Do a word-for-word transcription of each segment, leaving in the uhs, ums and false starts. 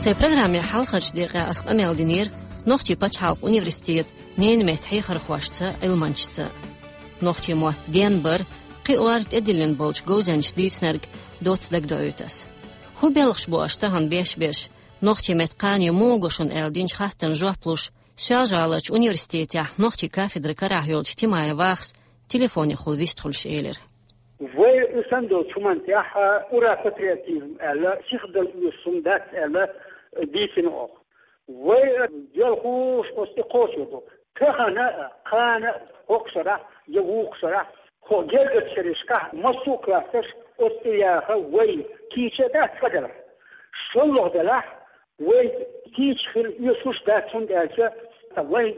Тхайн программин хьалхарчу декъехь ас къамел динера Нохчийн пачхьалкхан университетан ненан меттан хьехархошца, Ӏилманчашца. Нохчийн мотт денбар, кхин а тӀедиллина болчу говзанчаша дийцинарг доцца дагадоуьйту ас. ХӀун белхаш бу аша тахана беш берш, нохчийн меттан кхане муха го шуна аьлла динчу хаттарна жоп луш, Соьлжа-ГӀаларчу университетехь нохчийн кафедра карахь йолчу Тимаев Вахас телефонехула вистхуьлуш элира. Вай и санна долчу хӀуманна тӀехь ура-патриотизм аьлла, сихдала оьшуш хӀума дац аьлла дийцина оха. Вай делхуш оцу тӀе кхочур ду. Тахана а, кхана а, хӀокху шарахь я вукху шарахь, хӀокху гергачу шерашкахь массо а классаш оцу тӀе яха вай кийча а дац цкъа делахь. ШолгӀа делахь, вай кийча хила оьшуш дац, хӀунда аьлча вайн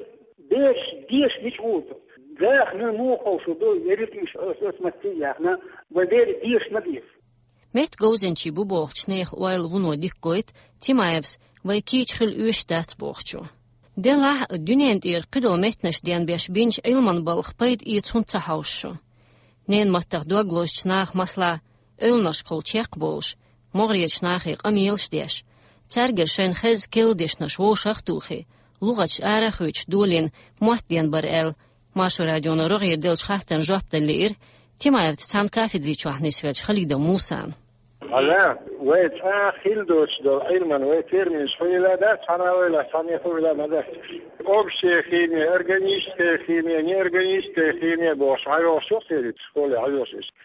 бераш деша мича гӀур ду? Даха муха ховшур ду, ерриг а уьш оцу, оцу матте а яьхна, вайн берийн деша ма деза. Меттан говзанчий бу бохучу нехан ойла вуно дика гойту Тимаевс вай кийча хила оьшуш дац бохучо. Делахь а, дуьненан тӀера кхидолу меттанаш денбеш бинчу Ӏилманан балха пайда эца хӀунда ца хьовшу шу? Ненан маттах дог лозучу наха, масала, эвланашкахула чекх а болуш, могӀарерчу нахе къамелаш а деш, цаьргара шайна хезна керла дешнаш вовшах а тухий, лугӀаташ ара а хуьйцуш долийна мотт денбар аьлла, Маршо радионо рогӀера деллачу хаттарна жоп дала лиира Тимаевца цхьана кафедри чохь нисвеллачу Халидов Мусана. Хьажа, вай цкъа хила доцуш долу Ӏилман вай терминаш хуьлийла дац, цхьана а ойла, цхьанне хуьлийла ма дац. Общая химия, органическая химия, неорганическая химия бохуш, хьайогӀуш ю-кх церан школе хьайогӀуш иштта.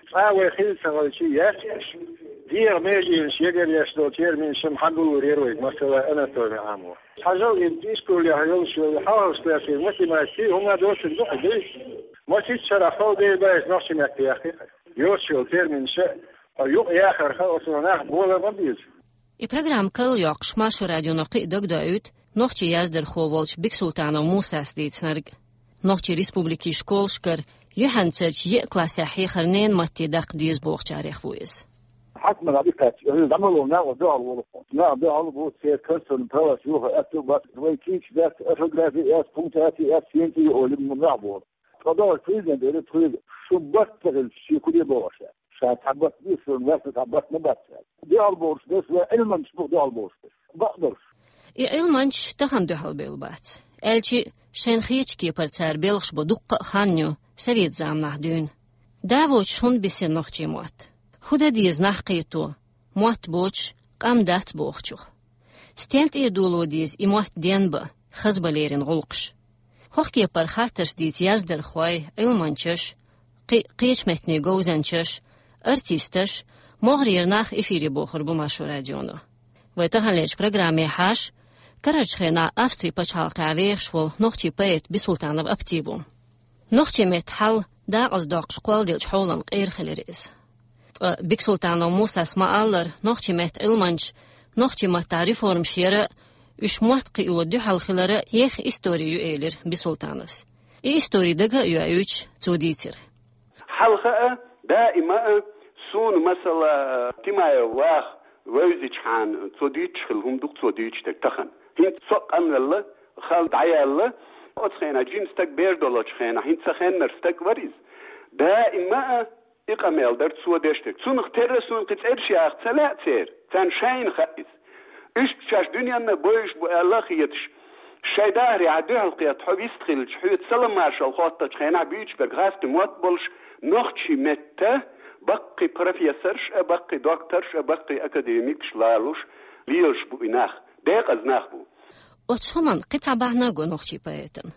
Цкъа вай хила ца хилча, яц уьш. ДегӀан меженаш егар еш долу терминаш-м хьан гуллур яра вайга, масала, анатоми Ӏамо. Хьажал, и ишколехь йолуш йолу хьалхарчу классийн математика, хӀума доцург ду-кх, дуй? Масийтта шарахь хала дер баьлча нохчийн меттан яхкхи-кх. Йоцуш йолу терминаш а, хьо юкъа яхарх а оцу нах бола ма беза. И программа карла йоккхуш, Маршо радионо кхин а дагадоуьйту нохчийн яздархо волчу Бексултанов Мусас дийцинарг. Нохчийн республикин школашкара юьхьанцарчу еа классехь хьехар ненан матте даккха деза бохучарех ву иза. Хьаькамехь дӀакхаьчча, хӀинца дӀа ма ло, наха дуьхьал волу хьо. Наха дуьхьал бу, церан конституцин правас юха аьтту бац, вай кийча дац, орфографи а яц, пунктуаци а яц, сенца а олу, ма нах боху. Ткъа догӀуш президент элира тхоьга, шун барт ца хилча, шен куде богӀуш аьлла. Ша цхьа барт бу, шун лаьцна цхьа барт ма бац аьлла. Дуьхьал бохуш берш вай Ӏилманчаш бу, дуьхьал бохуш берш. Бакъдолуш. И Ӏилманчаш тахана дуьхьал бевлла бац. Аьлча а, шайна хетачу кепара цара белхаш бо дуккха а хан ю, совет заманахь дуьйна. Да воцуш хӀунда бисина нохчийн мотт? ХӀун дан деза нах кхето, мотт боцуш, къам дац бохучух? Стенна тӀера доло деза и мотт денбан, хазбан леррина гӀуллакхаш? ХӀокху кепара хаттарш дийца яздархой, Ӏилманчаш, кхин а кхечу меттанийн говзанчаш, артисташ, могӀарера нах эфире бохур бу Маршо радионо. Вай таханлерчу программе хьаша, карарчу хенахь Австрин пачхьалкхехь вехаш волу нохчийн поэт Бисултанов Апти ву. Нохчийн меттан хьал дакъаза доккхуш кхолладеллачу хьолан къера хилира иза. Ткъа Бексултанов Мусас ма-аллара, нохчийн меттан Ӏилманчаш нохчийн маттахь реформаш яра а, уьш мотт кхио дуьхьал хилара а еха истори ю, элира Бисултановс. И истори дага а йоуьйтуш, цо дийцира. Хьалха а, даима а суна, масала, Тимаев Ваха вевзичхьана, цо дуьйцуш хилла хӀума ду-кх цо дуьйцуш дерг тахана. ХӀинца со а къанвелла, хала дӀаяьлла, оцу хенахь жима стаг бер долчу хенахь, хӀинца сан хеннара стаг вара иза. Даима а и къамел дара цо деш дерг. Цунах терра суна кхин цӀераш яха ца лаьа церан, царна шайна хаьа иза. Уьш шаьш дуьненна бовзуш бу аьлла а хеташ, шайн дахарехь дуьхьал кхетта хьо вистхилча, хьоьца салам-маршалла хоттучу хенахь буьйцуш берг гӀазкхийн мотт болуш, нохчийн меттан баккхий профессорш а, баккхий докторш а, баккхий академикаш лалуш, лелаш бу и нах, декъаза нах бу. Оцу хӀуманна кхин цхьа бахьана го нохчийн поэтан.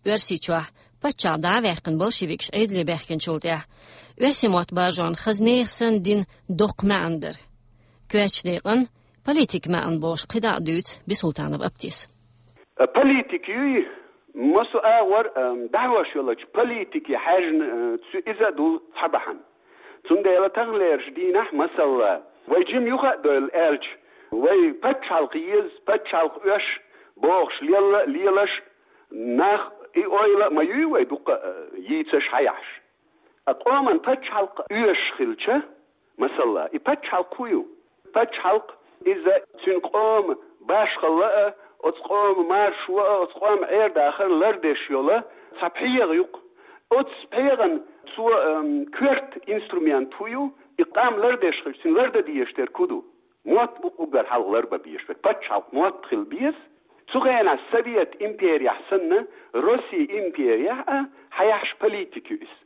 Оьрсийчохь паччахь дӀа а ваьккхина, большевикаш Ӏедале баьхкинчул тӀаьхьа, оьрсийн мотт бажонна хаза нехан санна дина доккха маьӀна дара. Коьртачу декъана политикан маьӀна бохуш кхидӀа а дуьйцу Бисултанов Аптис. Политика юй, массо а агӀор, а, дӀахьош йолчу политике хьаьжна, а, цу иза а ду цхьа бахьана. Цундела таханлерчу дийнахь, масала, вай жима юха а довла аьлча, вай пачхьалкх еза, пачхьалкх оьшу бохуш лелла а лелаш, нах и ойла а ма юй вай дуккха а йийцаш хьаяхьаш. Ткъа къоман пачхьалкх оьшуш хилча, масала, и пачхьалкх хӀун ю? Пачхьалкх иза цуьнан къоман башхалла а, оцу къоман маршо а, оцу къоман Ӏер-дахар лардеш йолу цхьа пхьегӀа ю-кх. Оцу пхьегӀан цо, ам, коьрта инструмент хӀун ю? И къам лардеш хилча, цуьнан лардан дезаш дерг хӀун ду? Мотт бу уггар хьалха ларбан безаш верг. Паччахьалкх мотт хила беза. Цу хенахь Совет империяхь санна, Россия империяхь а хьаяхьаш политика ю иза.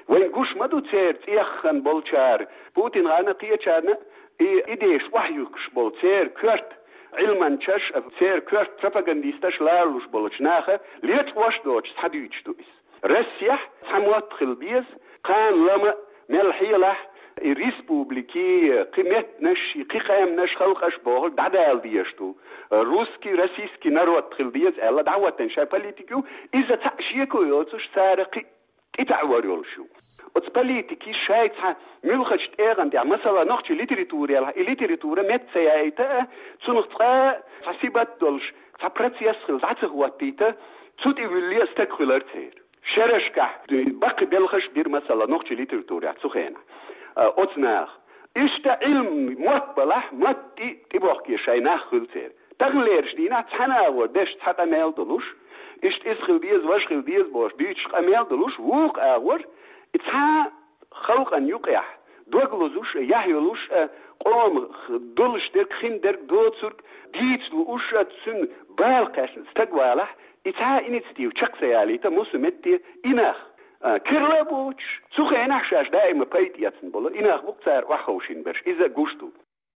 Вайн гуш ма ду церан цӀеххана болчара, Путин гӀана кхечарна и идеяш охьаюхкуш болу церан коьрта Ӏилманчаш, церан коьрта пропагандисташ ларалуш болчу наха лечкъош доцуш схьадуьйцуш ду иза. Россехь цхьа мотт хила беза, кхана лама мел хьелахь, и республики, кхи меттанаш, и кхи къаьмнаш, халкъаш бохург дӀадала дезаш ду. Русский, российский народ хила деза аьлла, дӀахӀоттийна шайн политика ю, иза цхьаъ шеко йоцуш цара кхин тӀетаӀор йолуш ю. Оцу политики шайн цхьа муьлххачу тӀегӀан тӀехь, масала, нохчийн литература яьлла, и литература метта ца яйта а, цунах цкъа а цхьа сибат долуш, цхьа процесс хила дӀа ца хӀоттийта, цу тӀе вуьллий а стаг хуьлар церан. Шерашкахь баккхий белхаш бира, масала, нохчийн литературехь цу хенахь, а, оцу наха. Иштта Ӏилма мотт балахь, мотт тӀе, тӀебохке шайн нах хуьлу церан. Таханлерчу дийнахь цхьана агӀор деш цхьа къамел долуш, иштта иза хила деза, важа хила деза бохуш дуьйцуш къамел долуш, вукху агӀор и цхьа халкъан юкъехь дог лозуш а, яхь йолуш а, къоман х-, долуш дерг, хин дерг, доцург дийца лууш а, цуьнан бала кхаьчна стаг валахь, и цхьа а инициатива чекх ца ялийта, массо а метте и нах, а, керла а боцуш, цу хенахь шаьш даима пайда эцна болу и нах бу-кх цара охьаховшийна берш, иза гуш ду.